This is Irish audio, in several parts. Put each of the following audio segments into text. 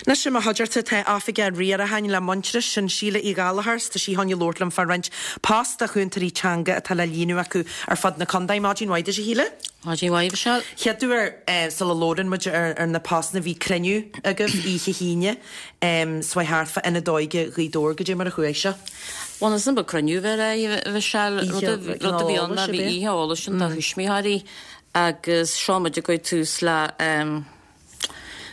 Anois i mo chuideachta tá Oifigeach Riaracháin le Muintearas, sin Síle Uí Ghallchóir, 's tá sí chun labhairt liom fá roinnt post do chúntóirí teanga atá le líonadh acu ar fud na contae. Maidin mhaith duit a Shíle. Maidin mhaith, Michelle. Chéad uair sula labhrann muid ar na postanna bhí cruinniú agaibh oíche hAoine 's bhí thart fá Ionad Óige Ghaoth Dobhair, goidé mar a chuaigh sé? Bhuel is ba cruinniú a bhí air, a Mhichelle. Rud a bhí ann ná bhí oíche eolais ann do thuismitheoirí agus seo muid ag cur tús le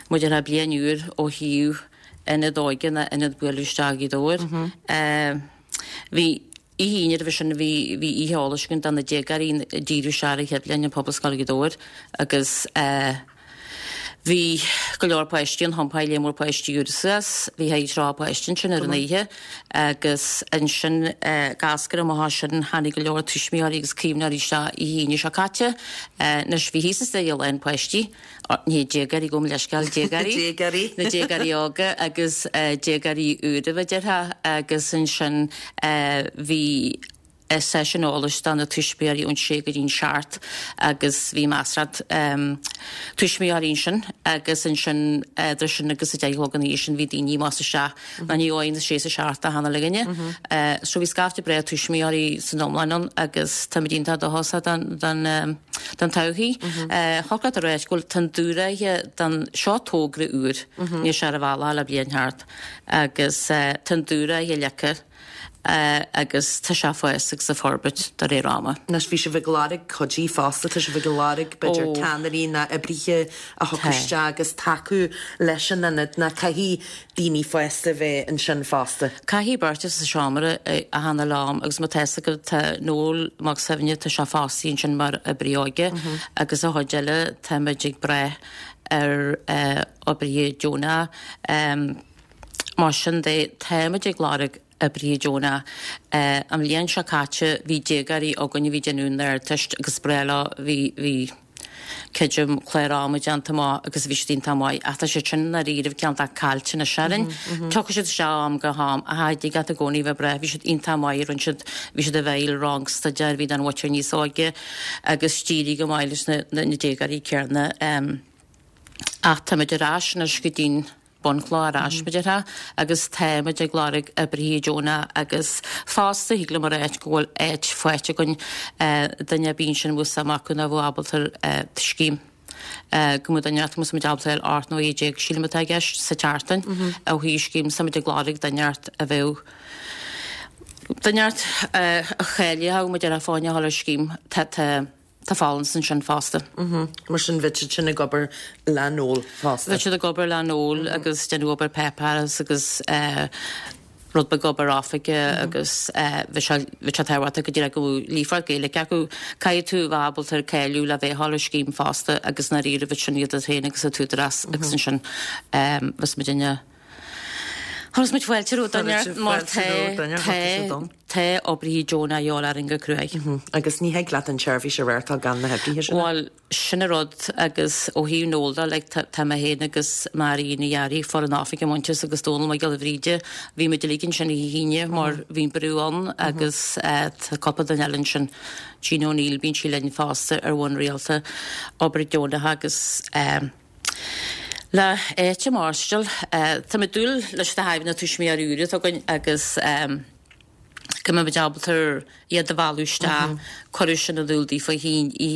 muid ar bliain úr ó thaobh Ionad Óige nó Ionad Bualadh Isteach Ghaoth Dobhair. Bhí oíche Aoine roimhe sin bhí bhí oíche eolais againn do na déagóirí ag díriú isteach ar an chéad bhliain i Pobalscoil Ghaoth Dobhair agus bhí go leor páistí ann, thiompáigh lear mór páistí úra suas, bhí thart ar 30 páiste ansin ar an oíche agus ansin ag eascairt amach as sin tháinig go leor tuismitheoirí agus caomhnóirí isteach oíche Aoine seo caite. Anois bhí thíos an staighre lán páistí. Ní déagóirí, gabh mo leithscéal, déagóirí. Déagóirí. Na déagóirí óga agus déagóirí úra a déarfá agus ansin bhí seisiún eolais do na tuismitheoirí ón sé go dtí'n seacht agus bhí measartha tuismitheoirí ansin agus ansin idir sin agus a deich a chlog an oíche sin bhí daoine amach is isteach ná ní amháin na sé is a seacht achan uile dhuine. So bhí scaifte breá tuismitheoirí san iomlán ann agus táimid iontach dóchasach don don don todhchaí. Thiocfadh leat a ráit go bhfuil tá an dúshraith don seo togra úr níl sé ar an bhealach le bliain thart agus tá an dúshraith leagtha agus tá sé ag fás agus ag forbairt de réir ama. Anois bhí sibh ag lorg cuidí fosta, tá sibh ag lorg b'fhéidir ceannairí ná oibrithe a thiocfadh isteach agus tacú leis an ionad ná caithfidh daoine fásta bheith ansin fosta. Caithfidh beirt sa seomra achan uile am agus má tá fhios agat tá Noel Mac Suibhne tá sé fostaithe ansin mar oibrí óige agus an chuid eile táimid ag brath ar oibrithe deonacha. Mar sin de táimid ag lorg oibrithe deonacha. An bhliain seo caite bhí déagóirí againn a bhí ag déanamh an Ardteist agus breá leo bhí bhí creidim clár ama déanta amach agus bhí siad iontach maith ach tá siad sin i ndáiríribh cineál de caillte anois orainn. Tiocfaidh siad isteach ó am go ham ach thig leat i gcónaí bheith ag brath bhí siad iontach maith rinne siad bhí siad i bhfeighil rang staidéir bhí don mhuintir níos óige agus d'éirigh go maith leis na na déagóirí céanna. Ach táimid ar ais anois go dtí'n bunchloch ar ais, mar a déarfá, agus táimid ag lorg oibrithe deonacha agus fosta thig liom a ráit go bhfuil áit faighte againn duine ar bith ansin a bhfuil suim acu nó a bheadh ábalta ar scéim go mbeadh duine inteacht muid ábalta ar 18 nó 19 sílim atá i gceist sa tseachtain ó thaobh scéim so muid ag lorg duine inteacht a bheadh duine inteacht a cháileodh mar a déarfá fá choinne a dhul ar scéim tá tá Tá folúntas ansin fosta. Mar sin bheadh siad sin ag obair le Noel fosta. Bheadh siad ag obair le Noel agus déanamh obair páipéarachas agus rud beag obair oifige agus bheadh sé bheadh sé tábhachtach go díreach go bhfuil líofacht Gaeilge acu. Caithfidh tú a bheith ábalta cáiliú le bheith ar scéim fosta agus i ndáiríre bheadh sin idir féin agus an tÚdarás agus ansin bheas muid ina Chuirfeas muid fáilte roimh duine mar tá tá tá oibrithe deonacha a dhíobháil orainn go cruaidh. Agus ní thig leat an tseirbhís a reáchtáil gan na hoibrithe sin. Bhuel, sin an rud agus ó thaobh Noel de, like, tá tá mé féin agus Mary Ní Fhearraigh, foireann oifige Muintearas agus Dónal Mac Giolla Bhríde, bhí muid uilig ansin oíche hAoine mar bhí an brú ann agus tá cúpla duine eile ansin, Jean O'Neill, bíonn sí linn fosta ar bhonn rialta, obair deonach agus. Le áit a maireachtáil. Tá mé ag dúil leis na haidhmeanna tuismitheoirí úra atá againn agus go mbeidh muid ábalta iad a mhealladh isteach, cuireadh sin in iúl daofa oíche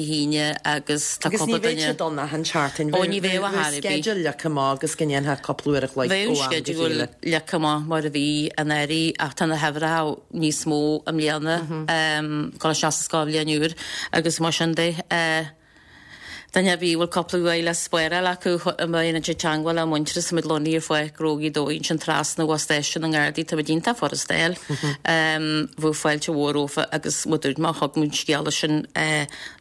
hAoine agus tá Agus ní cúpla bheadh duine. siad ann achan seachtain, Ó ní bheadh a bheadh chor ar bith. sceideal leagtha amach agus go ndéanfá cúpla uair a chloig Bheadh ó am go sceideal chéile. leagtha amach mar a bhí anuraidh ach tá na huimhreacha níos mó i mbliana, dul isteach sa scoilbhliain úr agus mar sin de. Duine ar bith a bhfuil cúpla uair le spáráil acu má dhéanann siad teagmháil le Muintearas táimid lonnaithe ar Pháirc Ghnó Ghaoth Dobhair ansin trasna ó stáisiún na nGardaí táimid iontach furasta a fháil. Bheadh fáilte mhór rompu agus mar a dúirt mé thug muid an scéala sin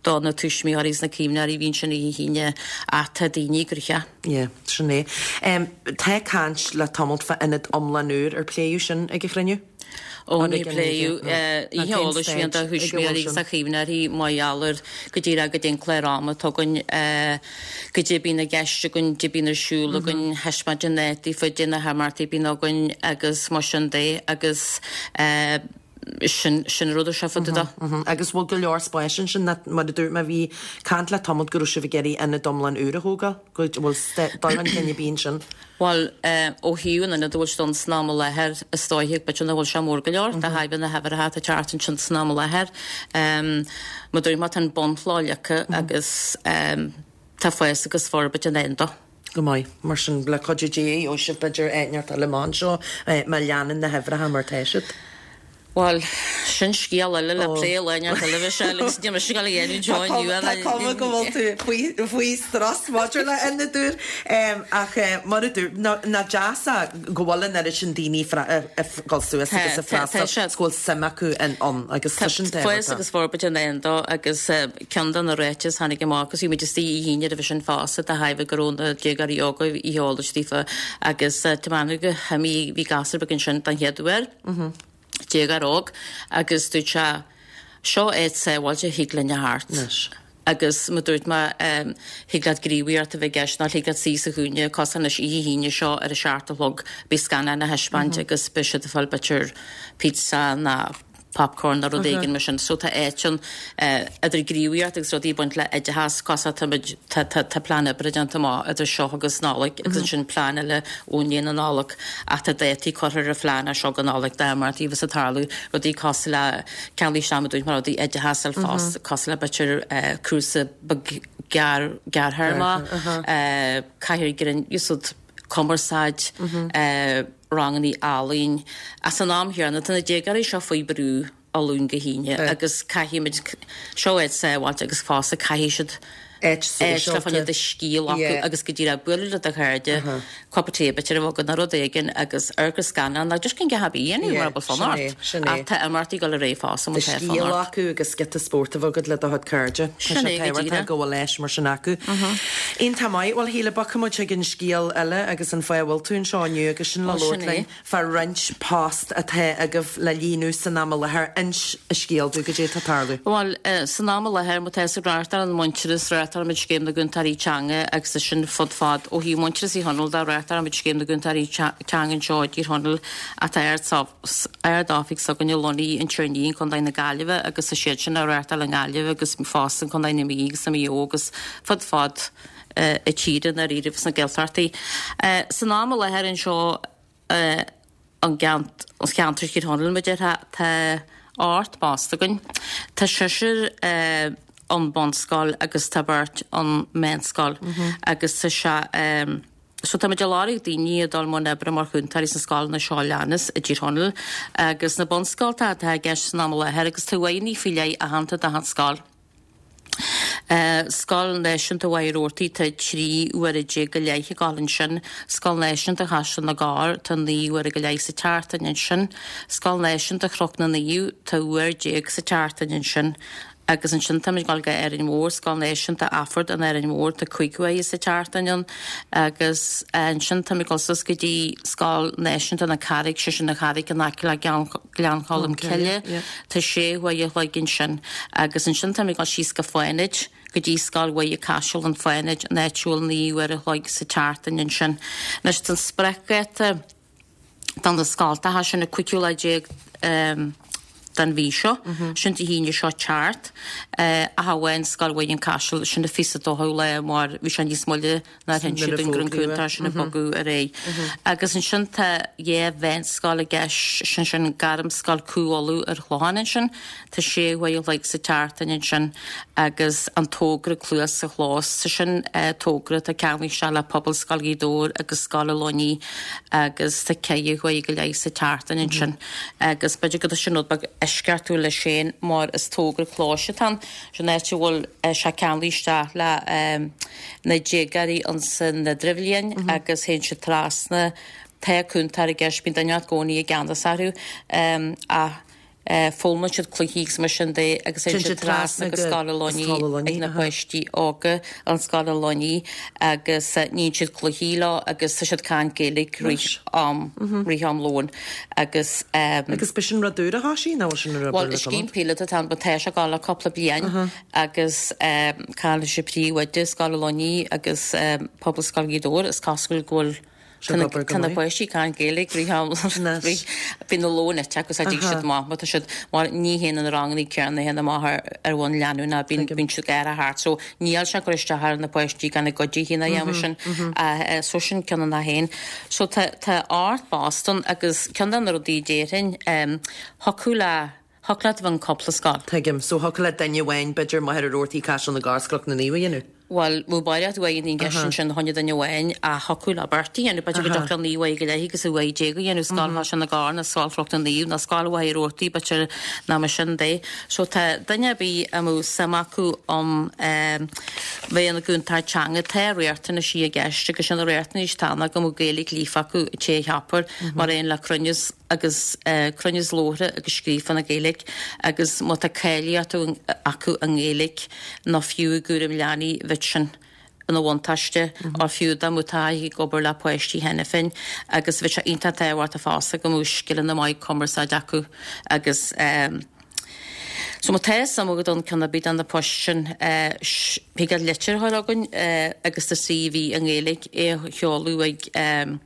do na tuismitheoirí agus na caomhnóirí a bhí ansin oíche hAoine ach tá daoine gnoitheach. Yeah, sin é. Tá caint le tamalt fá ionad iomlán úr ar pléadh sin ag an chruinniú? Ó ní pléadh oíche eolais a bhí ann do thuismitheoirí agus do chaomhnóirí mar gheall ar go díreach goidé an clár ama atá againn, goidé a bíonn i gceist againn, goidé a bíonn ar siúl againn, thaispeáint an áit daofa, goidé na himeachtaí a bíonn againn agus mar sin de agus sin sin an rud a seo fá dtaobh de. Agus bhfuil go leor spáis ansin mar a dúirt mé bhí caint le tamalt go raibh sibh ag iarraidh ionad iomlán úr a thógáil, go bhfuil dul chun cinn ar bith ansin? Bhuel, ó thaobh an ionaid a bhfuil siad ann san am i láthair, is dóiche, b'fhéidir nach bhfuil sé mór go leor, de thairbhe na huimhreacha atá ag teacht ansin san am i láthair. Mar dúirt mé, tá an bunchloch leagtha agus tá fás agus forbairt i ndán dó. Go maith. Mar sin, le cuidiú Dé, gheobhaidh sibh b'fhéidir áit inteacht eile amach anseo má leanann na huimhreacha mar tá siad. Bhuel, sin scéal eile le plé lá inteacht eile, Michelle, agus níl mise ag dul a dhéanamh anseo inniu ach. Tá cuma go bhfuil tú faoi strus maidir le ionad úr, ach mar a dúirt, nach deas é go bhfuil an oiread sin daoine ag dul suas agus ag freastal agus go bhfuil suim acu ann agus tá sin tábhachtach. Fás agus forbairt i ndán dó agus ceann de na ráitis a tháinig amach agus bhí muid istigh oíche Aoine roimhe sin fosta de thairbhe go raibh na déagóirí óga oíche eolais daofa agus tá mé go himí bhí gasúr beag ansin den chéad uair. Déagóir óg agus dúirt sé, Seo áit sábháilte a thig linn a theacht. Anois. Agus mar dúirt mé, thig leat gníomhaíocht a bheith i gceist nó thig leat suí sa chúinne, cosúil anois oíche hAoine seo ar a seacht a chlog, beidh scannán á thaispeáint agus beidh siad ag fáil b'fhéidir pizza nó popcorn nó rud éigin mar sin. So tá áit ann idir gníomhaíocht agus rudaí ag baint le oideachas, cosúil tá muid, tá, tá, tá plean oibre déanta amach idir seo agus Nollaig agus ansin plean eile ó ndiaidh na Nollag ach tá dátaí curtha ar an phlean as seo go Nollaig dá mbeadh a bheas ag tarlú, rudaí cosúil le ceannaigh isteach mar dúirt mé rudaí oideachas ar fós cosúil le b'fhéidir cúrsa beag gearr, gearrthéarma, cathaoir grinn, úsáid cumarsáid, rangannaí ealaín. Ach san am chéanna, tá na déagóirí seo faoi brú ó Luan go hAoine agus caithfimid, seo áit sábháilte agus fosta caithfidh siad áit sóisialta fá choinne do scíth a ghlacadh agus go díreach bualadh le do chairde, cupa tae b'fhéidir a bheith agat nó rud éigin agus amharc ar scannán nó just gan a dhath ar bith a dhéanamh mura bhfuil fonn ort. Ach tá imeachtaí ag dul ar aghaidh fosta má tá fonn ort. Do scíth a ghlacadh agus giota spóirt a bheith agat le do chuid cairde. Tá sé tábhachtach go bhfuil áis mar sin acu. Iontach maith. Bhuel, a Shíle, bogfaidh muid chuig an scéal eile agus an fáth a bhfuil tú anseo inniu agus sin le labhairt linn fá roinnt post atá agaibh le líonadh san am i láthair. Inis an scéal dúinn, goidé atá ag tarlú. Bhuel, san am i láthair, má tá ag reáchtáil Muintearas, reáchtálaimid Scéim na gCúntóirí Teanga agus é sin fud fad ó thaobh Muintearas Thír Chonaill de, reáchtálaimid Scéim na gCúntóirí Teanga anseo i dTír Chonaill ach tá ard-oifig s'againne lonnaithe in Tír an Fhia in Contae na Gaillimhe agus tá siad sin á reáchtáil i nGaillimh agus fosta in Contae na Mí agus i Maigh Eo agus fud fad na tíre i ndáiríribh sna Gaeltachtaí. San am i láthair anseo i gceantar Thír Chonaill, mar a déarfá, tá 8 bpost againn. Tá seisear ón bunscoil agus tá beirt ón meánscoil agus tá sé So tá muid ag lorg daoine a dul i mbun oibre mar chúntóirí sna scoileanna seo a leanas i dTír Chonaill agus na bunscoltacha atá i gceist san am i láthair agus tá uaigheanna faoi leith aitheanta d'achan scoil. Scoil Náisiúnta Mhachaire Rabhartaigh tá 13 uaire go leith ag dul ansin. Scoil Náisiúnta Chaisleán na gCorr tá 9 uaire go leith sa tseachtain ansin. Scoil Náisiúnta Chnoc na Naomh tá uair déag sa tseachtain ansin. Agus ansin táimid ag dul go Árainn Mhór, Scoil Náisiúnta Ashford in Árainn Mhór, tá 5 huaire sa tseachtain ann. Agus ansin táimid ag dul suas go dtí Scoil Náisiúnta na Carraige, sé sin an Charraig in aice le Gleann Cholm Cille, tá sé huaire a chloig ansin. Agus ansin táimid ag dul síos go Fánaid, go dtí Scoil Mhuire Caiseal in Fánaid, an áit a bhfuil 9 uair a chloig sa tseachtain ansin. Anois tá an spriocdháta. do na scoltacha sin an 15ú lá den mhí seo, sin Dé hAoine seo teacht, ach amháin Scoil Mhuire an Caiseal, sin an 22ú lá mar bhí sé níos moille nár hinis siad dúinn go raibh an cúntóir sin ag bogadh ar aghaidh. Agus ansin tá dhá mheánscoil i gceist, sin sin Gairmscoil Cú Uladh ar Chlochán ansin, Tá sé huaire a chloig sa tseachtain ansin agus an togra Cluas sa Chlós. Sé sin togra atá ceangailte isteach le Pobalscoil Ghaoth Dobhair agus Scoil Oileán agus tá ceithre huaire go leith sa tseachtain ansin agus b'fhéidir go tá sin rud beag eisceachtúil leis féin mar is togra clóis atá ann. Sin áit a bhfuil sé ceangailte isteach le na déagóirí ansan idirbhliain agus théann siad trasna. Tá cúntóir i gceist, bíonn duine i gcónaí i gceannas orthu ach Foghlaimíonn siad cluichí agus mar sin de agus téann siad trasna go Scoil an Luinnigh ag na páistí óga an Scoil an Luinnigh agus níonn siad cluichí leo agus tá siad ag caint Gaeilge rith am rith am lóin agus. Agus b'shin rud úr a thoisigh nó bhfuil sin ar obair le Bhuel is scéim píolóta atá ann but tá sé ag dul le cúpla bliain agus cailleadh sé príomhoide Scoil an Luinnigh agus Pobalscoil Ghaoth Dobhair is cosúil go bhfuil. Tá na páistí ag caint Gaeilge rith am, bíonn a lón ite acu so dtig siad amach má tá siad, mar ní théann na ranganna céanna théann amach ar ar bhonn leanúnach, bíonn bíonn siad ag thart so níl sé ag cur isteach ar na páistí gan a gcuid féin a dhéanamh sin so sin ceann na féin. So tá tá ort post ann agus ceann de na rudaí a déarfainn thiocfadh le thiocfadh leat a bheith in cúpla scoil. Tuigim. So thiocfadh le duine amháin b'fhéidir Machaire Rabhartaigh Caiseal na gCorr Cnoc na Naomh a dhéanamh? Bhuel, bheadh barraíocht uaigheanna i gceist ansin fá choinne duine amháin ach thiocfadh le beirt a dhéanamh. B'fhéidir go dtiocfadh le 9 bháire go leith agus 11 a dhéanamh, Scoil Chaiseal na gCorr nó Scoil Chnoc na Naomh nó Scoil Mhachaire Rabhartaigh b'fhéidir nó mar sin de. So tá duine ar bith a mbeadh suim acu um bheith ina gcúntóir teanga, tá riachtanaisí i gceist agus sin na riachtanais atá ann go mbeadh Gaeilge líofa acu an té a cheapfar mar aon le cruinneas agus cruinneas labhartha agus scríofa na Gaeilge agus má tá cáilíocht acu i nGaeilge nó fiú i gcúram leanaí bheadh sin ina bhuntáiste or fiú dá mbeadh taithí ag obair le páistí cheana féin agus bheadh sé iontach tábhachtach fosta go mbeadh scileanna maith cumarsáide acu agus so má tá suim agat ann ceann ar bith de na poist sin thig leat litir a chur chugainn agus do CV i nGaeilge é a sheoladh ag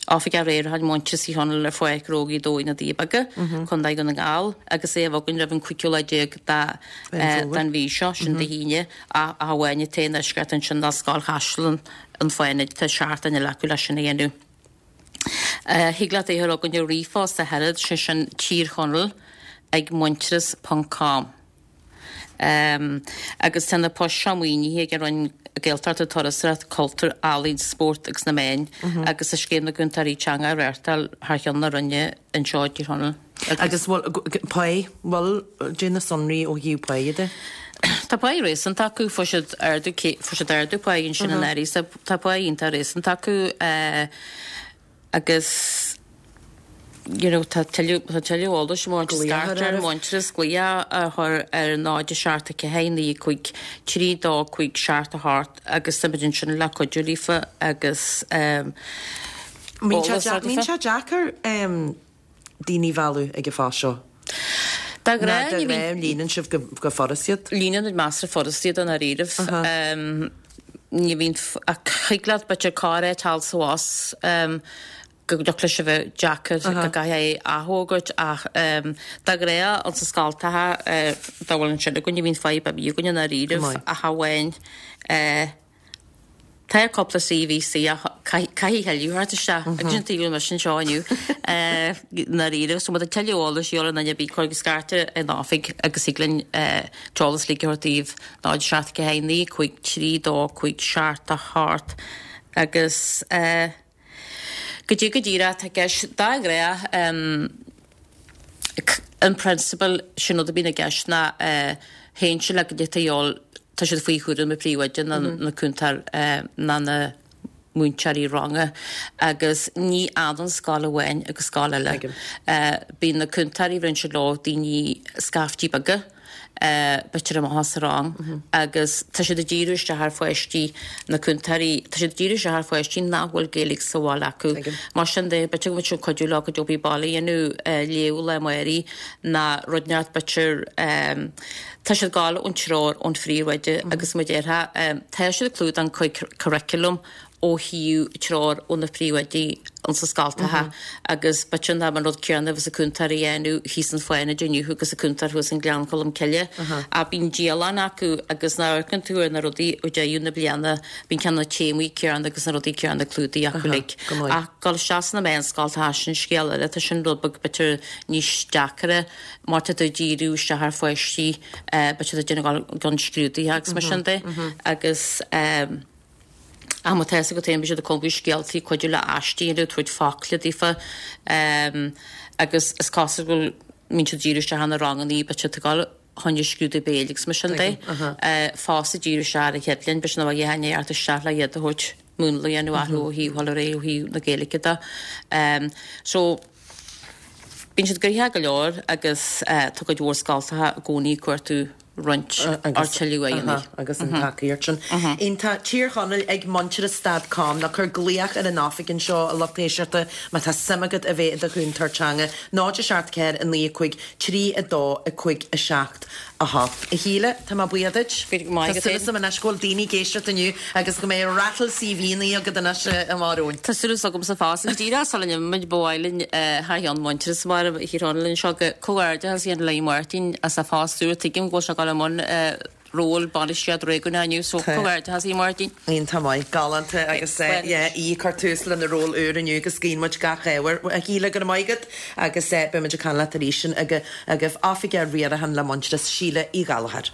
Oifigeach Riaracháin Muintearas Thír Chonaill ar Pháirc Ghnó Ghaoth Dobhair na Doirí Beaga, Contae Dhún na nGall, agus é a bheith againn roimh an 15ú lá den mhí seo, sin Dé hAoine, ach amháin atá i ndeisceart ansin ná Scoil Chaiseal an Fánaid, tá seachtain eile acu leis sin a dhéanamh. Thig leat é a chur chugainn ar ríomhphost a thuilleadh, sé sin Tír Chonaill ag muintearas ponc com. Agus tá na poist seo maoinithe ag an Roinn Gaeltachta, Turasóireachta, Cultúir, Ealaíon, Spóirt agus na Meáin agus tá Scéim na gCúntóirí Teanga á reáchtáil thar cheann na Roinne anseo i dTír Chonaill. Agus bhfuil pá, bhfuil, cad é na sonraí ó thaobh pá de? Tá pá réasúnta acu, fuair siad ardú, fuair siad ardú pá ansin anuraidh, so tá pá iontach réasúnta acu. Agus you know tá tuilleadh tá tuilleadh eolais má Glaoch ar Muintearas glaoch a chur ar 0 7 4 9 5 3 2 5 7 8 agus tá muid ansin le cuidiú líofa agus ehm eolas a Mbíonn sé deacair ehm daoine a mhealladh ag an phost seo? De ghnáth ní bhíonn. Líonann sibh go furast iad? Líonann muid measartha furast iad i ndáiríribh. Ní bhíonn ach thig leat b'fhéidir carr a fháil thall is abhus go dtiocfadh leis a bheith deacair go gcaithfeá é a athfhógairt ach de ghnáth ins na scoltacha dá bhfuil ansin againn ní bhíonn fadhb ar bith againn i ndáiríribh ach amháin Tá cúpla CV istigh ach caithfidh a thuilleadh theacht isteach agus sin tuige a bhfuil mise anseo inniu i ndáiríre. So má tá tuilleadh eolais a dhíobháil ar an duine ar bith cuir scairt ar an oifig agus thig linn t-eolas uilig a thabhairt daoibh 0 7 4 9 5 3 2 5 7 8 agus goidé go díreach atá i gceist de ghnáth in principle sin rud a bhíonn i gceist ná théann sé le goidé atá a dhíobháil tá siad faoi chúram na príomhoide nó na cúntóir nó na múinteoirí ranga agus ní ionann scoil amháin agus scoil eile. Bíonn na cúntóirí bhíonn siad leo daoine scaiftí beaga. b'fhéidir amach as an rang agus tá siad ag díriú isteach ar pháistí, na cúntóirí, tá siad ag díriú isteach ar pháistí nach bhfuil Gaeilge sa bhaile acu. Mar sin de, b'fhéidir go mbeadh siad ag cuidiú leo cuid obair baile a dhéanamh, léamh lá amárach ná rud inteacht b'fhéidir tá siad ag gabháil ón treoir ón phríomhoide agus mar a déarfá, tá siad ag clúdach an curriculum ó thaobh treoir ó na príomhoidí insa scoltacha agus b'fhéidir nach an rud céanna a bheas an cúntóir a dhéanamh thíos in Fánaid inniu agus an cúntóir thuas in Gleann Cholm Cille. Ach bíonn dialann acu agus nuair a amharcann tú ar na rudaí ó deireadh na bliana bíonn ceann na téamaí céanna agus na rudaí céanna clúdaithe acu uilig. Ach dul isteach sna meánscoltacha sin scéal eile, tá sin rud beag b'fhéidir níos deacaire mar tá tú ag díriú isteach ar pháistí b'fhéidir ag déanamh don scrúduithe agus mar sin de agus Ach má tá fhios agat féin, bíonn siad ag cumadh scéaltaí, cuidiú le aistí a dhéanamh, tabhairt focla daofa agus is cosúil go mbíonn siad ag díriú isteach ar na rangannaí, beidh siad ag dul chun scrúdú béil agus mar sin de. Fosta ag díriú isteach ar an chéad bhliain, beidh siad ag dul isteach le iad a thabhairt múnla a dhéanamh orthu ó thaobh dhul ar aghaidh ó thaobh na Gaeilge de. So bíonn siad gnoitheach go leor agus tá cuid mhór scoltacha i gcónaí ag cuartú roinnt ár tuilleadh aghaidheanna. Agus an tacaíocht sin. Iontach. Tír Chonaill ag Muintearas dot com nó cuir glaoch ar an oifig anseo, a lucht éisteachta, má tá suim agat a bheith i do chúntóir teanga. 0 7 4 9 5 3 2 5 7 8. 8. A Shíle, tá mé buíoch duit. Tá súil agam anois go bhfuil daoine ag éisteacht inniu agus go mbeidh rattle CV-nna agat anois amach romhainn. Tá súil agamsa fosta. Agus díreach sula n-imímid, ba mhaith linn thar cheann Muintearas mar Thír Chonaill anseo go comhghairdeachas a dhéanamh le Máirtín as a phost úr. Tuigim go bhfuil sé ag dul i mbun ról bainistíocht réigiúnach inniu so comhghairdeachas a Mháirtín. Iontach maith, galánta agus yeah í ag cur tús lena ról úr inniu agus guíonn muid gach ádh air. A Shíle, go raibh maith agat agus beidh muid ag caint leat arís sin agaibh Oifigeach Riaracháin le Muintearas, Síle Uí Ghallchóir.